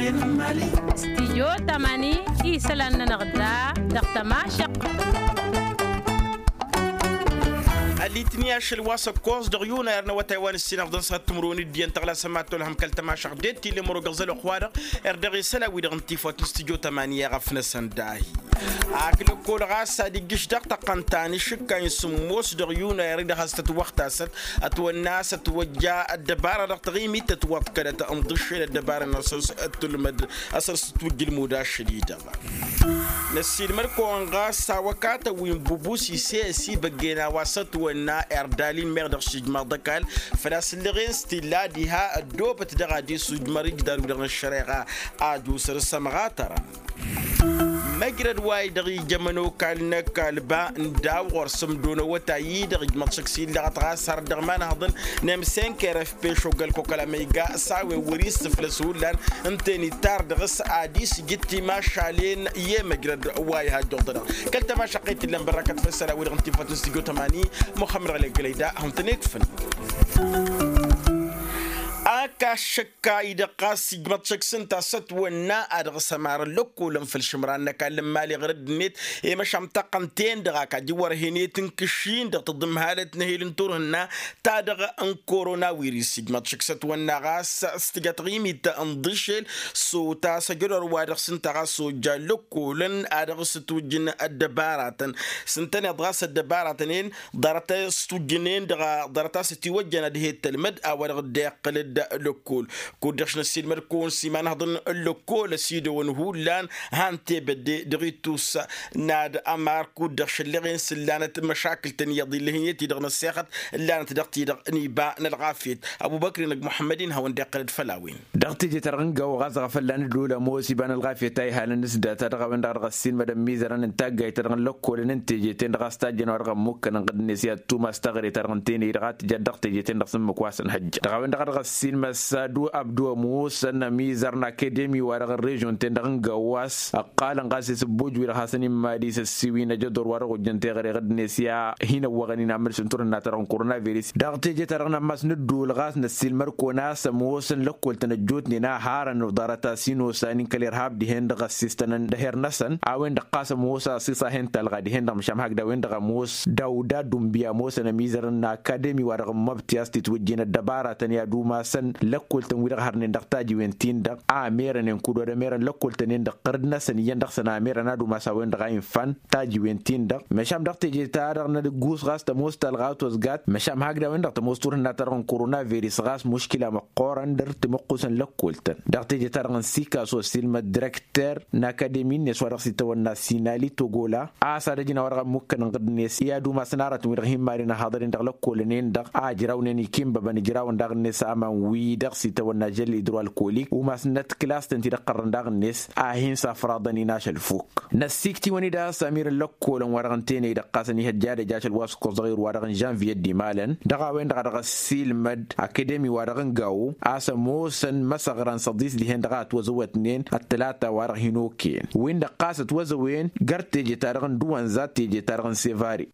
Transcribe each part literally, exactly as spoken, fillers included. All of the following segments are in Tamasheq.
Stijyo tamani isălan-nănăɣ da dăɣ-tămašăɣt. Ălitni ašăl wa s-ăkkoẓ dăɣ-yunayăr n-awătay wa n-ǝssin ăɣḍăn s-ad-timǝrwen d-iyyăn tăɣlasăm ad-tolhăm kăl-tămašăɣt d-ettille mărogăẓ ălwăqq-wa-dăɣ. Erdăɣ isălan-wi-dăɣ n-tifawt n-stijyo tamani i-ăɣăfnăsăn dahi. Ak lăkkol ɣas ad-ijjǝš daɣ tăqqăn ta n-išǝkka n-sǝmmos dăɣ-yunayăr-i-dăɣ has-tătwăɣtasăt ătwănna a-s ătwăjja ăddăbara dăɣ-taɣimit tătwăḍkălăt ǝnḍǝššel ăddăbara-năsăn s-ăttulmăd a-s ăr s-ătwǝjj ǝlmud ašăl-i-dăɣ. Năssiilmăd-kăwăn ɣas a-wa katăn wi n-bubus isesibăggen a-wa s-ătwănna erdal-in meɣ dăɣ-šijmaḍ ăkall făl-a-s ǝllăɣen s-t-illa diha ăddoobăt dăɣ-ad-isujmăr ǝjdar-wi-dăɣ n-ăššăreɣa. Ad-usăr s-ămɣatărăn măjrăd wa-i-dăɣ ija ămănokal n-ăkall ba n-daw ɣur-sǝmdo n-awătay-i-dăɣ ijmăḍ šăkk s-illăɣăt ɣas har dăɣ-imanhăḍăn n-emsenker efpeš ogăl-kăwkăl amăyga s-a-wen wăr-issǝflăs hullan ǝnta enitar dăɣ-s ad-isǝjǝd timašalen i-emăjrăd wa ihajjăḍ-dăɣ kăl-tamašăqqet t-illăn bărrakăt făssăla-wi-dăɣ n-tifăt n-stujo tămani muxămmăd ɣălek gălăyda hawăn-tăn-ikfǝn. Ak ašăkka-i-dăɣ ɣas ijmăḍ šăkk s-ǝnta a-s ătwănna a dăɣ-s ămarăn lăkkolăn făll-išǝmran n-ăkall n-imali ɣur-ăddinăt i-măšan taqqăn-ten-dăɣ a kajǝwwărhen i-tǝnkǝšin dăɣ-taḍǝmhalăt n-ehel n-turhǝnna ta dăɣ-n korona wirǝs ijmăḍ šăkk s-ătwănna ɣas s-tǝja taɣimit n-iḍǝšel s-otas ăjădor wa dăɣ-s ǝnta ɣas ojja lăkkolăn a dăɣ-s ǝtwǝjjǝn ăddăbaratăn s-ǝntăneḍ ɣas ăddăbaratăn-en ḍarăt a-s tujjǝnen dăɣ-a ḍarăt a-s ătiwăjjăn ad-he-tălmăd a-wa-dăɣ dd-iqqǝl-dd lăkkol. Kud-dăɣ š-năssiilmăd-kăwăn s-imanhăḍăn n-lăkkol ăsidăwăn hullan han tebădde dăɣ-ittus n-ad-ămar kud-dăɣ šăllăɣen s-ǝllanăt măšakǝl-tăn iyyăḍ illăh-in i-ti-dăɣ n-ăssexăt ǝllanăt dăɣ-ti-dăɣ n-iba n-ălɣafyăt. Ăbubăkri n-ăgg muḥămmăd-in hawăn-dd-iqqǝl-dd făll-a-wen. Dăɣ-teje-ta-dăɣ n-gawo ɣas dăɣ-afălla n-ădduul ămoos iba n-ălɣafyăt a ihalăn s-data dăɣ-a-wen-dăɣ a dăɣ-ăssiilmădăn imizărăn n-taggayt-ta-dăɣ n-lăkkolăn n-teje-ten-dăɣ a-s tajjăn wa dăɣ-ămmukkănăn ɣǝddǝnet i-ad-tumas taɣre-ta-dăɣ n-teney-dăɣ a tǝja dăɣ-teje-ten-dăɣ s-ǝmmǝk wa s-ănhăjja dăɣ-a-wen-dăɣ a dăɣ-ăssiilmăs adu abdu ămoosăn ămizăr n-akedemi wa dăɣ-ărežon-ten-dăɣ n-gawo a-s ǝqqalăn ɣas i-sǝbboj wi-dăɣ hasăn-immadis ăssiwin ăjădor wa dăɣ-ojjăn teɣăre ɣǝddǝnet i-ad-hin-ăwwăɣăn-in amǝlsǝn turhǝnna-ta-dăɣ n-korona viris dăɣ-teje-ta-dăɣ n-ammas n-ădduul ɣas năssiilmăr-kăwăn a-s ămoosăn lăkkol-tăn ăjjootnen a harăn ḍarăt-as hin-osanin kăl-irhab dihen-dăɣ ăssistănăn d-eher-năsăn a-wen-dăɣ ɣas ămoos a ăṣiṣ a hen-talɣa dihen-dăɣ măšan hakd a-wen-dăɣ ămoos dawda dumbiya ămoosăn ămizărăn n-akademi wa dăɣ-ămmăbti a-s titwǝjjen ăddăbaratăn i-ad-umasăn lăkkol-tăn wi-dăɣ hărnen dăɣ-tajiwen-tin-dăɣ a merănen kud-odămerăn lăkkol-tăn-en-dăɣ ɣărd-năsăn iyyăn dăɣ-săn a merăn ad-umas a-wen-dăɣ a infan tajiwen-tin-dăɣ măšan dăɣ-teje-ta-dăɣ n-ad-ǝggus ɣas tămoos talɣa a ătwăzgat măšan hakd a-wen-dăɣ tămoos turhǝnna-ta-dăɣ n-korona viris ɣas muškila măqqoorăn dăr-timǝqqusăn lăkkol-tăn dăɣ-teje-ta-dăɣ n-sikaso ăssiilmăd dirăkter n-akademi-net wa dăɣ-s itawănna sinali togola a-s ad-ăjǝn a-wa dăɣ-ămmukkăn ǝnɣǝd-net i-ad-umasăn aratăn wi-dăɣ hin-maren ăhaḍăr-in dăɣ-lăkkolăn-en-dăɣ a ǝjrawnen ikinbăbăn ǝjrawăn daɣ-net aman wi-dăɣ s-itawănna žăl idru alkolik umasnăt kǝlas-tăn ti-dăɣ ɣărrăn daɣ-net a hin-safraḍăn-in ašăl fuk. Năssiiktiwăn-dd a-s amir n-lăkkolăn wa dăɣ-n tenăy-dăɣ ɣasăn ihăjja ad-ăj ašăl wa s-ǝkkoẓ dăɣ-irwa dăɣ-n žănviye d-imalăn dăɣ-a-wen-dăɣ a dăɣ-ăssiilmăd akademi wa dăɣ-n gawo a-s ămoosăn măsăɣran s-ăḍis dihen-dăɣ a ătwăzăwătnen ăttălata wa dăɣ-hin-okăyăn win-dăɣ ɣas ătwăzăwen găr teje-ta-dăɣ n-duwănza teje-ta-dăɣ n-sevare.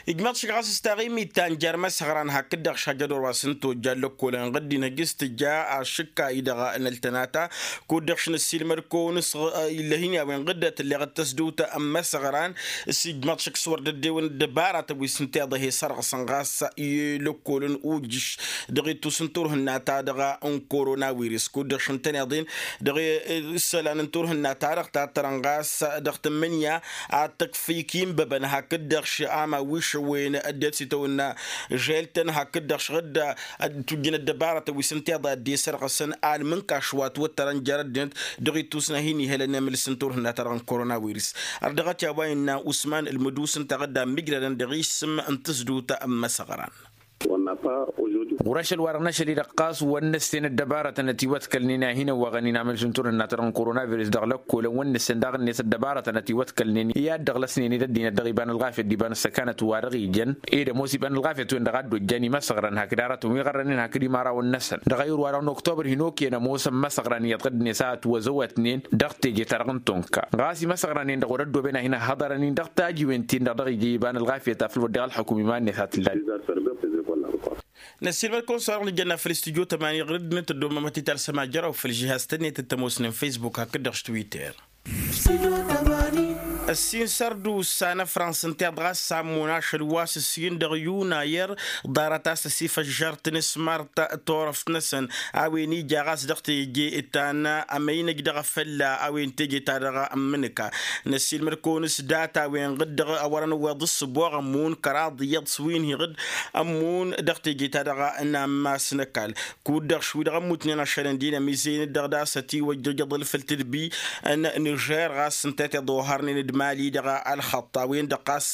Ijmăḍ šik ɣas s-taɣimit ta n-jer-imăsăɣran hakd-dăɣ šajădor wa s-ǝnta ojja n-lăkkolăn ɣǝddin hăjj s-tǝjja ašǝkka-i-dăɣ n-ăltănata kud-dăɣ š-năssiilmăd-kăwăn s-ɣǝ-ăy ǝllăh-in i-a-wen ɣǝddăt ǝlleɣ d-tăsdut n-imăsăɣran s-ijmăḍ šik s-wăr dd-ewăn ăddăbaratăn wi s-ǝnta iḍa he-sărɣǝsăn ɣas i-lăkkolăn ujǝš dăɣ-ittus n-turhǝnna-ta-dăɣ n-korona wirǝs kud-dăɣ š-ǝntăneḍ-in dăɣ-isălan n-turhǝnna-ta-dăɣ tattărăn ɣas dăɣ-tǝmmǝnǝya ad-tăkf ikinbăbăn hakd-dăɣ š-aman wi šăwwen ăddinăt s-itawănna žel-tăn hakd-dăɣ š-ɣǝdda tujjǝn ăddăbarătăn wi s-ǝnta iḍa dd-e-sărɣǝsăn almǝnkaš wa ătwăttărăn jer-ăddinăt dăɣ-ittus n-ad-hin-ihălăn emǝlǝs n-turhǝnna-ta-dăɣ n-korona wirǝs. Ărdăɣăt i-a-wa innă usman ǝlmǝdus ǝnta ɣǝdda ămmijrădăn dăɣ-isǝm n-tǝsdut n-imăsăɣran. Ɣur-ašăl wa dăɣ-năšăl-i-dăɣ ɣas wăr nǝssen ăddăbarătăn ătiwăḍkălnen a hin-ăwwăɣăn-in amǝlǝs n-turhǝnna-ta-dăɣ n-korona virus dăɣ-lăkkolăn wăr nǝssen daɣ-net ăddăbarătăn ătiwăḍkălnen i-ad-dăɣlăsnen-dd ăddinăt dăɣ-iba n-ălɣafyăt d-iba n-ăssăkanăt wa dăɣ-ijăn ed ămoos iba n-ălɣafyăt-wen-dăɣ a dd-ojjan imăsăɣran hakd aratăn wi ɣărrănen hakd imărawăn-năsăn dăɣ-ayǝr wa dăɣ-n oktobăr hin-okăyăn ămoosăn imăsăɣran iyyăḍ ɣǝddǝnet a ătwăzăwătnen dăɣ-teje-ta-dăɣ n-tunka ɣas imăsăɣran-en-dăɣ wăr-ăddooben ad-hin-ăhhăḍărăn-in dăɣ-tajiwen-tin-dăɣ dăɣ-ija iba n-ălɣafyăt afăl wăr dăɣ-ălxukǝm iman-net a t-ǝllan. Năssiilmăd-kăwăn s-a-dăɣ nǝjănna făll-studyo tămani ɣur-dd n-tăddomămăt italsăm ajăraw făll-žihaz-tăn-net t-ămoosnen facebook hakd-dăɣ s-twitter. Ăssin sărdusa n-afrans ǝnta iḍ ɣas s-ammon ašăl wa s-ǝssin dăɣ-yunayăr, ḍarăt-as ăsifăžžărt n-smart turăft-năsăn a-wen ija ɣas dăɣ-teje ta n-amăynăj dăɣ-afălla a-wen teje-ta-dăɣ n-imǝnǝka. Năssiilmăd-kăwăn s-data-wen ɣǝd-dăɣ a wărăn ǝwweḍ s-ăboɣ ămmun kăraḍ iyyăḍ s-wi n-hi-ɣǝd ămmun dăɣ-teje-ta-dăɣ n-ammas n-ăkall. Kud-dăɣ š-wi-dăɣ ămmutnen ašălăn d-inămizăyăn-dd dăɣ-das ătiwăjjăj aḍǝlfǝl tǝdbi n-nižer ɣas ǝnta i-tiḍa oharnen d-imali dăɣ-ălxăṭṭ a-wen-dăɣ ɣas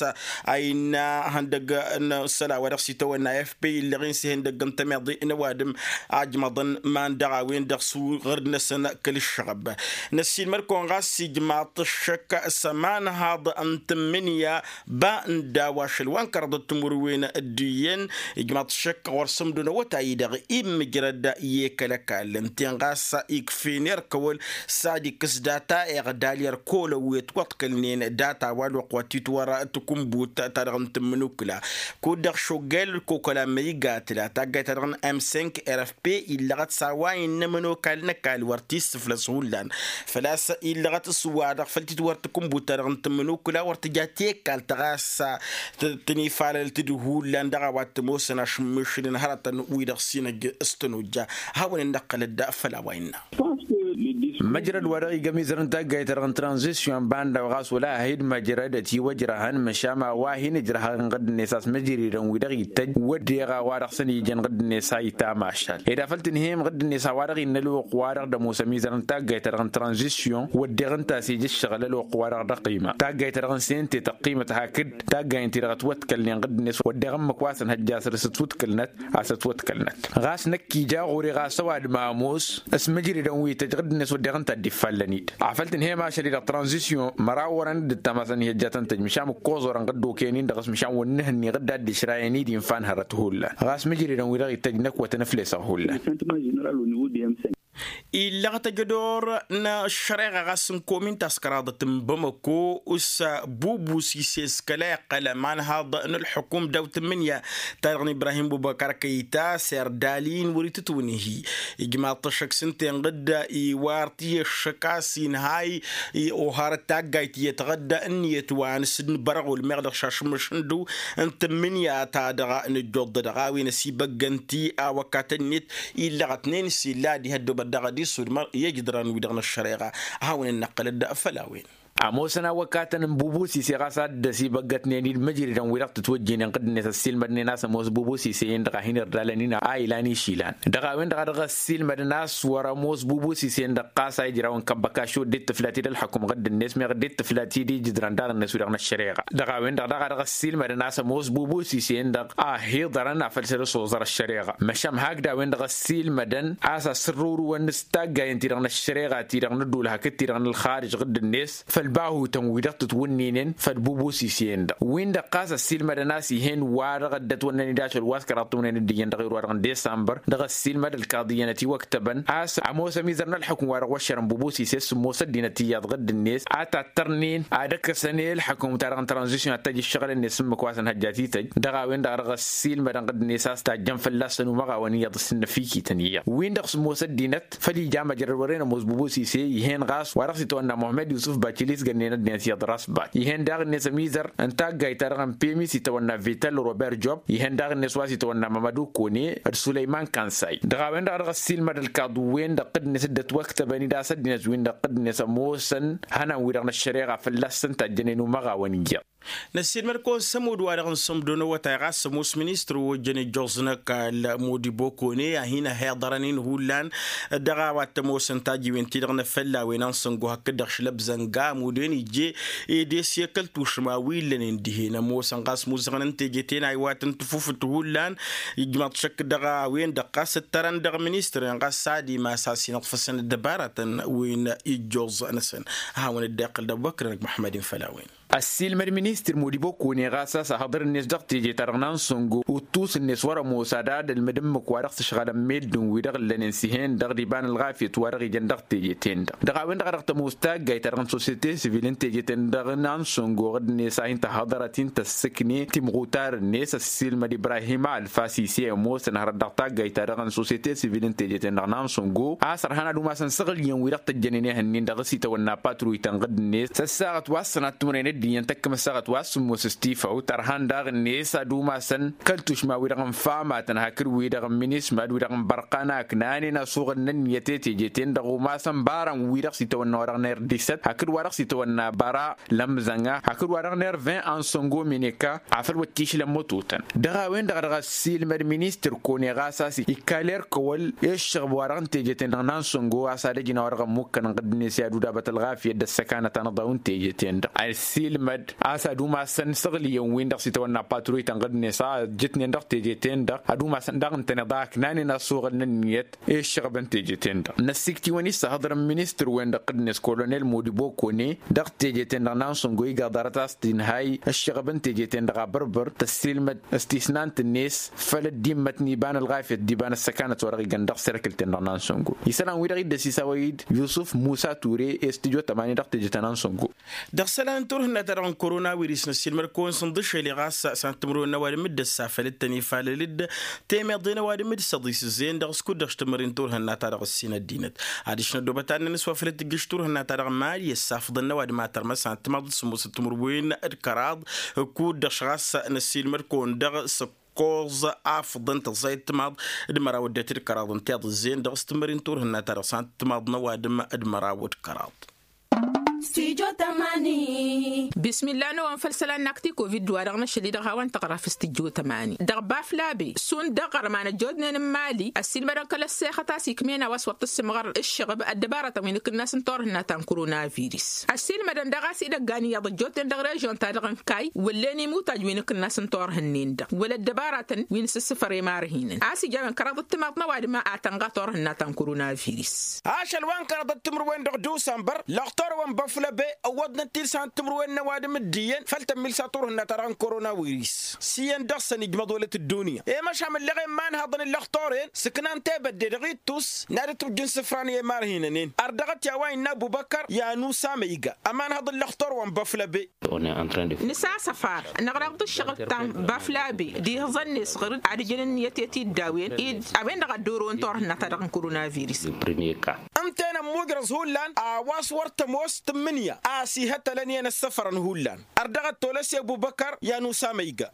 a innă ihăndăgg n-isălan wa dăɣ-s itawănna f p illăɣ-in s-ihăndăgg n-tămiḍe n-ăwadǝm ajmăḍăn iman-dăɣ a-wen-dăɣ s-ɣǝrǝd-năsăn kăl-ǝššăɣăb. Năssiilmăd-kăwăn ɣas ijmaḍ-t ǝššăk s-ămanhaḍ n-tǝmmǝnǝya ba n-daw ašăl wa n-kăraḍăt timǝrwen d-iyyăn ijmaḍ-t ǝššăk ɣur-sămdo n-awătay-i-dăɣ immǝjrăd i-kăl-ăkall ǝnta-en ɣas ikf'-en erk'-ăwăl s-ad-ikkǝs data iɣdal i-ărkol ăwwet wăḍkălnen data wa ălwăqq wa t-itwăr tǝkǝnbut-ta-dăɣ n-tǝmmǝnukǝla. Kud-dăɣ šoggel ălkokăla măyga tǝla taggayt-ta-dăɣ n-m cinq r f p illăɣăt s-a-wa innă ămănokal n-ăkall wăr t-issǝflăs hullan făl-a-s illăɣăt s-wa-dăɣ făl t-itwăr tǝkǝnbut-ta-dăɣ n-tǝmmǝnukǝla wăr tǝja tekkalt ta ɣas tănifalăl-t-dd hullan dăɣ-a-wa t-ămoosăn ašǝmmišǝlăn hărătăn wi-dăɣ s-inăjj s-tănojja. Hawăn-in-năqqălăd făll-a-wa innă. Măjrăd wa dăɣ-iga ămizăr n-taggayt-ta-dăɣ n-tranzisyon banda wa ɣas wăla a hi-dd-măjrăd ătiwăjrăhăn măšan a-wa hin-ǝjrăhăn ɣǝdd-net a-s măjridăn wi-dăɣ ittăjj wădden a-wa dăɣ-săn ijen ɣǝdd-net a itamašal ed afăl tǝnhǝyăm ɣǝdd-net a-wa dăɣ-innă ălwăqq wa dăɣ-dămoos ămizăr n-taggayt-ta-dăɣ n-tranzisyon wădden ǝnta a-s ija ǝššăɣǝl ălwăqq wa dăɣ-dăɣ ăqqima taggayen-ti-dăɣ ǝnta a-s ija ǝqqima taggayen-ti-dăɣ ătwătkălnen ɣǝdd-net wădden ǝmmǝk wa s-ănhăjja a săr-s ătwǝtkălnăt a-s ătwătkălnăt. Ɣas năkk ija ɣur-e ɣas ăwadǝm a ămoos s-mǝjridăn wi tăjj ɣǝdd-net wădden ǝnta a dd-iffallăn-dd afăl tǝnhǝyăm ašăl-i-dăɣ tranzisyon măraw orăn dd-ǝttam a-s ănhăjja a tăn-tăjj măšan ǝkkoẓ orăn ɣǝddoken-in-dăɣ s-măšan wăr nǝhǝnni ɣǝdda a dd-išrayăn-dd infa n-hărăt hullan ɣas mǝjridăn wi-dăɣ ittăjj năkk wăr tăn-ǝflesăɣ hullan. Illăɣ tăjădor n-ăššăreɣa ɣas n-komin ta s-kăraḍăt n-bamăko s-bubu s-ises kăla iqqăl ămanhaḍ n-ălḥukum daw-tǝmmǝnǝya ta-dăɣ n-ibrahim bubăkar kăyta s-erdal-in wăr-itǝtwǝnhi. Ijmaḍ-t ăššăk s-ǝnta-en ɣǝdda iwar-t i-ăššăk a-s inhay oharăt taggayt iyyăt ɣǝdda ǝnniyăt wa n-asǝnnǝbărăɣ ulmeɣ dăɣ-šašǝmmǝš n-dăw n-tǝmmǝnǝya-ta-dăɣ n-ăjjoḍ-dăɣ a-wen ăsibăggăn-t i-awăkatăn-net illăɣătnen s-illa ad-ih-ăddobăt daɣ ad-isudmăr i-ijǝdran-wi-dăɣ n-ăššăreɣa. A hawăn-in-năqqălăd făll-a-wen. Ămoosăn awăkatăn n-bubu s-ise ɣas a dd-ăsibăggătnen-dd măjridăn-wi-dăɣ tǝtwăjjinen ɣǝdd-net ăssiilmădnen a-s ămoos bubu s-ise-en-dăɣ a hin-irdalăn-in a ilan išilan dăɣ-a-wen-dăɣ a dăɣ-ăssiilmădăn a-s wăr-ămoos bubu s-ise-en-dăɣ ɣas a ijraw n-kăbbăkaš wăr dd-tǝflat-dd ălḥăkum ɣǝdd-net meɣ dd-tǝflat-dd ijǝdran daɣ-net wi-dăɣ n-ăššăreɣa. Dăɣ-a-wen-dăɣ daɣ a dăɣ-ăssiilmădăn a-s ămoos bubu s-ise-en-dăɣ a hiḍărăn afăl s-dd-ăsoẓăr ăššăreɣa măšan hakd a-wen-dăɣ ăssiilmădăn a-s asǝrrǝwrǝwăn s-taggayen-ti-dăɣ n-ăššăreɣa-ti-dăɣ n-ăddul hakd-ti-dăɣ n-ălxarǝj ɣǝdd-net făll-bahutăn-wi-dăɣ tǝtwǝnninen făll-bubu s-ise-en-dăɣ win-dăɣ ɣas ăssiilmădăn a-s ih'-en wa dăɣ-ăddătwănnăn-dd ašăl wa s-kăraḍ tǝwǝnnen d-iyyăn dăɣ-iru wa dăɣ-n desămbăr dăɣ-ăssiilmăd ălkaḍiyyăn ătiwăktăbăn a-s ămoos ămizăr n-ălḥukǝm wa dăɣ-wăššărăn bubu s-ise s-sǝmmos ăddinăt iyyăḍ ɣǝdd-net a tattărnen ad-ăkkăsăn i-ălḥukǝm-ta-dăɣ n-tranzisyon ad-tăj ǝššăɣǝl-net s-ǝmmǝk wa s-ănhăjja a t-tăj dăɣ-a-wen-dăɣ a dăɣ-ăssiilmădăn ɣǝdd-net a-s tajjăn fălla-săn umăɣawăn iyyăḍ s-ǝnnăfikităn iyyăḍ win-dăɣ sǝmmos ăddinăt făl ija măjrăd wăren ămoos bubu s-ise ih'-en ɣas wa dăɣ-s itawănna muhămmăd yusǝf bacilis gănnen ăddinăt iyyăḍ răsbat ih'-en daɣ-net ămizăr n-taggayt-ta-dăɣ n-pemi s-itawănna vital robert job ih'-en daɣ-net wa s-itawănna mămădu kone d-sulăyman kansay dăɣ-a-wen-dăɣ a dăɣ-ăssiilmăd ălkaḍu-wen-dăɣ ɣǝdd-net dd-ătwăktăbăn-dd a-s ăddinăt-win-dăɣ ɣǝdd-net ămoosăn hănan-wi-dăɣ n-ăššăreɣa fălla-săn tajjănen umăɣawăn iyyăḍ. Năssiilmăd-kăwăn s-ămudd wa dăɣ-n sămdo n-awătay ɣas ămoos ministăr wa ojjăn ijjuẓ n-ăkall modibo kone a hin-ăhiḍărăn-in hullan dăɣ-a-wa t-ămoosăn tajiwen-ti-dăɣ n-efălla a-wen ănsăngo hakd-dăɣ šlăbzănga ămudd-en ijje ed esyăkăl tušma wi illănen dihen ămoosăn ɣas muzăɣăn n-teje-ten a iwatăn tǝfufǝt hullan ijmaḍ šăkk dăɣ-a-wen-dăɣ ɣas ǝttărăn dăɣ-ministăr-en ɣas s-ad-imas a-s inǝḍfăsăn ăddăbaratăn wi n-ijjuẓ-năsăn. A hawăn-dd-iqqăl d-ăbubăkr-năk muḥămmăd-in făll-a-wen. Ăssiilmăd ministăr modibo kone ɣas a-s ahăḍăr-net dăɣ-teje-ta-dăɣ n-ansăngo uttus-net wăr-ămoos ad-ad-ălmǝd ǝmmǝk wa dăɣ-s ǝšɣălăn meddǝn-wi-dăɣ ǝllănen s-ih'-en-dăɣ d-iba n-ălɣafyăt wa dăɣ-ijăn dăɣ-teje-ten-dăɣ dăɣ-a-wen-dăɣ a dăɣ-tămoos taggayt-ta-dăɣ n-sosete sivil n-teje-ten-dăɣ n-ansăngo ɣǝd-net a hin-tăhhăḍărăt-in tăssǝkne timɣutar-net ăssiilmăd ibrahim alfasise ămoosăn hărăt dăɣ-taggayt-ta-dăɣ n-sosete sivil n-teje-ten-dăɣ n-ansăngo a-s ărhan ad-umasăn săɣǝl iyyăn wi-dăɣ tăjjănen ihănnin dăɣ-s itawănna patruyt n-ɣǝd-net s-ăssaɣăt wa s-sănat timǝrăyăn d-iyyăn tăkkăm ăssaɣăt wa s-sǝmmos s-tifawt ărhan daɣ-net ad-umasăn kăl-tušma-wi-dăɣ n-famatăn hakd-wi-dăɣ n-minisma d-wi-dăɣ n-bărqan a ǝknanen asuɣǝl n-ǝnniyăt i-teje-ten-dăɣ umasăn bara n-wi-dăɣ s-itawănna wa dăɣ-nerr disăt hakd wa dăɣ-s itawănna bara lămzăŋa hakd wa dăɣ-nerr vin ansăngo mineka afăl wăt tišlăm mătotăn dăɣ-a-wen-dăɣ dăɣ-ăssiilmăd ministăr kone ɣas a-s ikkaler kăwăl i-ǝššăɣb wa dăɣ-n teje-ten-dăɣ n-ansăngo a-s ad-ăjǝn a-wa dăɣ-ămmukkăn n-ɣǝddǝnet i-ad-udabăt ălɣafyăt d-ăssăkanăt anăḍaw n-teje-ten-dăɣ ăssiilmăd a-s ad-umasăn săɣlǝyăn-win-dăɣ s-itawănna patruyt n-ɣǝddǝnet a ǝjjǝtnen dăɣ-teje-ten-dăɣ ad-umasăn daɣ ǝntăneḍ a ǝknanen asuɣǝl n-ǝnniyăt i-ǝššăɣb n-teje-ten-dăɣ n-ăssikt'-iwăn-i s-ăhhăḍrăn ministăr-wen-dăɣ ɣǝddǝnet kolonel modibo kone dăɣ-teje-ten-dăɣ n-ansăngo iga ḍarăt a-s t-inhay ǝššăɣb n-teje-ten-dăɣ abărbăr tăssiilmăd s-tisnant-net făll-ăddimmăt n-iba n-ălɣafyăt d-iba n-ăssăkanăt wa dăɣ-igăn dăɣ-serkǝl-ten-dăɣ n-ansăngo isălan-wi-dăɣ iddăs isawăy-dd yusǝf musa ture i-s tǝjo tămani dăɣ-teje ta n-ansăngo. Dăɣ-isălan n-turhǝnna-ta-dăɣ n-korona wiris n-ăssiilmăd-kăwăn sǝnḍǝšel i-ɣas s-ad-tǝmrǝwen n-ăwadǝm d-ăssafălăt-tăn ifalăl-dd temeḍe n-ăwadǝm d-săḍis ǝzzeyăn dăɣ-s kud-dăɣ s-tǝmmări n-turhǝnna-ta-dăɣ ǝssin ăddinăt adiš n-ăddoobăt ad-năn-ăswafălăt tǝjjǝš turhǝnna-ta-dăɣ mali ăssafăḍăn n-ăwadǝm a tărmăs ad-tǝmaḍ d-sǝmmosăt timǝrwen d-kăraḍ kud-dăɣ ɣas n-ăssiilmăd-kăwăn dăɣ-s ǝkkoẓ afǝḍăn tăẓẓayăt timaḍ d-măraw ăddinăt d-kăraḍ ǝnta iḍǝzzeyăn dăɣ-s tǝmmări n-turhǝnna-ta-dăɣ s-ad-tǝmaḍ n-ăwadǝm d-măraw d-kăraḍ. Stujo tămani. Bismilla n-ăwăn făll-isălan n-akti kovid wa dăɣ-năšăl-i-dăɣ hawăn-tăɣra făll-stujo tămani dăɣ-baflabe šund dăɣ-ɣărman ăjjootnen n-imali ăssiilmădăn kăl-ăssexăt a-s ikm'-en a-wa s-wăr tǝssǝmɣăr ǝššăɣăb ăddăbaratăn wi n-akǝnnas n-turhǝnna ta n-koronavirus ăssiilmădăn daɣ a-s idăggan iyyăḍ ăjjootnen dăɣ-režion-ta-dăɣ n-kayy wăllen imutaj wi n-akǝnnas n-turhǝnnen-dăɣ wăla ăddăbaratăn wi n-asǝssǝfăr i-imarhinăn a-s ija a-wen kăraḍăt timaḍ n-ăwadǝm a tănɣa turhǝnna ta n-koronavirus. Ašăl wa n-kăraḍăt timǝrwen dăɣ-dusănbăr lăxtor wa n-băflăbe ăwwăḍnăt-dd s-ad-timǝrwen n-ăwadǝm d-iyyăn făll-tămmilsa turhǝnna-ta-dăɣ n-koronavirus s-iyyăn dăɣ-săn ijmăḍ wălăt ăddunya i-măšan mălleɣen imanhaḍăn n-lăxtor-en sǝknan tebădde dăɣ-ittus n-ad-ǝtrǝwjǝn isǝfran i-imarhinăn-en ărdăɣăt i-a-wa innă ăbubăkăr i-anusa măyga ămanhăḍ n-lăxtor wa n-băflăbe. Nǝsasăfar năɣraḍ d-ǝššăɣǝl ta n-baflabe d-ihǝẓăn-net ɣǝr-dd ad-ǝjǝn ǝnniyăt i-tiddawen-dd a-wen-dăɣ a dd-orăwăn turhǝnna-ta-dăɣ n-koronavirus. Ǝnta-en ămmugrăẓ hullan a-wa s-wăr tămoos tǝmmǝnǝya a-s ihătălăn iyyăn ăssăfărăn hullan ărdăɣăt tolăs i-ăbubăkăr i-anusa măyga.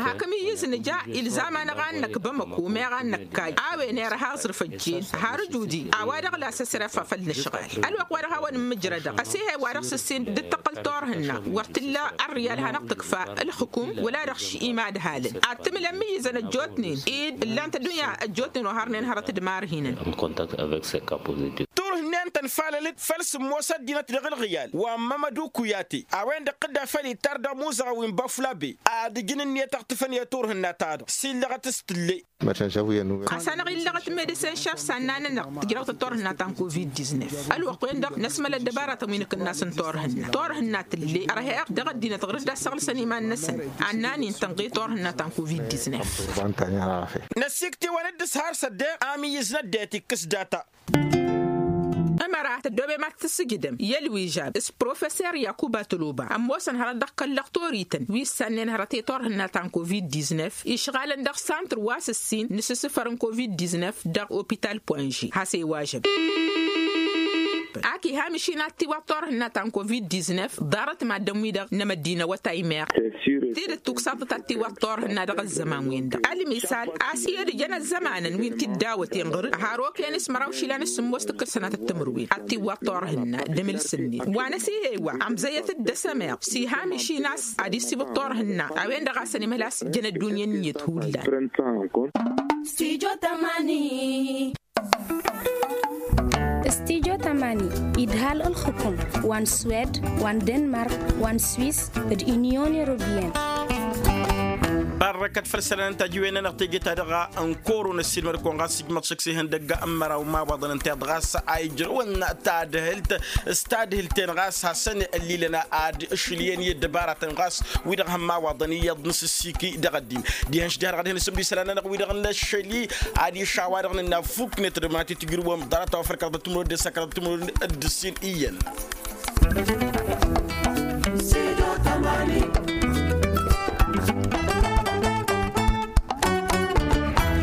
Hakăm iyyǝz nǝja ilzam-anăɣ a n-năkk bamăko meɣ a n-năkk kayy a-wen erha aẓrǝf ăjjeen har ǝjudi a-wa-dăɣ la s-ăsrăfa făll-inǝšɣal ălwăqq wa dăɣ-hawăn-ǝmmǝjrădăɣ ăsihăy wa dăɣ-s ǝssin dd-tăqqǝl turhǝnna wăr t-illa ărryal hanăɣ-tǝkfa ǝlxǝkum wăla dăɣ-s imadhalăn ad-tǝmǝl ămmiyyǝzăn ăjjootnen-dd ǝllan-t ăddunya ăjjootnen wa hărnen hărăt d-imarhinăn. Turhǝnnen tănfalăl-dd făll-sǝmmos ăddinăt dăɣ-ǝlɣǝyal wa n-mămădu kuyate a-wen-dăɣ dd-afăl ittar dăɣ-imuzăɣăn wi n-băflabe ad-ǝjǝn ǝnniyăt a ɣ-tǝfăn i-turhǝnna-ta-dăɣ s-illăɣăt s-tǝlle. Ɣas anăɣ-illăɣăt medecin šef s-anna-nănăɣ tǝjrăwt turhǝnna ta n-covid-diznef ălwăqq-wen-dăɣ năsmăl ăddăbaratăn wi n-akǝnnas n-turhǝnna turhǝnna tǝlle ărheɣ dăɣ-ăddinăt ɣur-dd ad-săɣlǝsăn iman-năsăn. Annan-in tănɣe turhǝnna ta n-covid-diznef. Năsikt'-iwăn dd-s har s-ăddeɣ amiyyǝz n-ăddinăt ikkǝs data. Ămăra tăddoobem ad-t-tǝssǝjdăm i-ălwižab s-professer yakuba tăloba ămoosăn hărăt dăɣ-kăl-lăxtorităn wi ǝssannen hărăt i-turhǝnna ta n-covid-diznef išɣalăn dăɣ-santr wa s-ǝssin n-asǝssǝfăr n-covid-diznef dăɣ-opital poinže has-e iwažăb. Ak iha mišin ad-tiwaḍ turhǝnna ta n-covid-diznef ḍarăt maddǝn-wi-dăɣ n-emăddin awătay meɣ tidǝt tuksaḍăt ad-tiwaḍ turhǝnna dăɣ-ăzzăman-wen-dăɣ ălmisal a-s i-ad-ǝjăn ăzzămanăn wi n-tiddawăten ɣǝr-dd har okăyăn s-măraw išilan s-sǝmmos tǝkkǝl sănatăt timǝrwen ad-tiwaḍ turhǝnna d-emǝl s-net wa n-asihey wa ămzăyăt-dd dăɣ-s ămeɣ s-iha mišin a-s ad-issibǝḍ turhǝnna a-wen-dăɣ a-s ănimălas jăn ăddunya n-iyyăt hullan. Stujo tămani. Stujo tămani idhal ǝlxǝkum wa n-swed wa n-denmark wa n-swis d-unyon europeyăn. Barrăkăt făll-isălan n-tajǝwen-nănăɣ teje-ta-dăɣ n-koro n-ăssiilmăd-kăwăn ɣas ijmăḍ šăkk s-ihăndăgg n-măraw n-imawaḍăn ǝnta i-dăɣ a-s a ijrăwăn. Tadhǝlt s-tadhǝlt-en ɣas hasăn-ăllilăn ad-šǝlǝyăn i-ăddăbaratăn ɣas wi-dăɣ hămmawaḍăn iyyăḍ n-asǝssiki dăɣ-ăddin. Dihen šdiha-dăɣ ad-hin-asǝmd isălan-nănăɣ wi-dăɣ n-ašăl-i ad-išawa-dăɣ nǝnna fuknet d-mănatăt tǝjrǝwăm ḍarăt-a-wa făl kăraḍăt timǝrwen d-ăssakăraḍăt timǝrwen d-ǝssin iyyăn.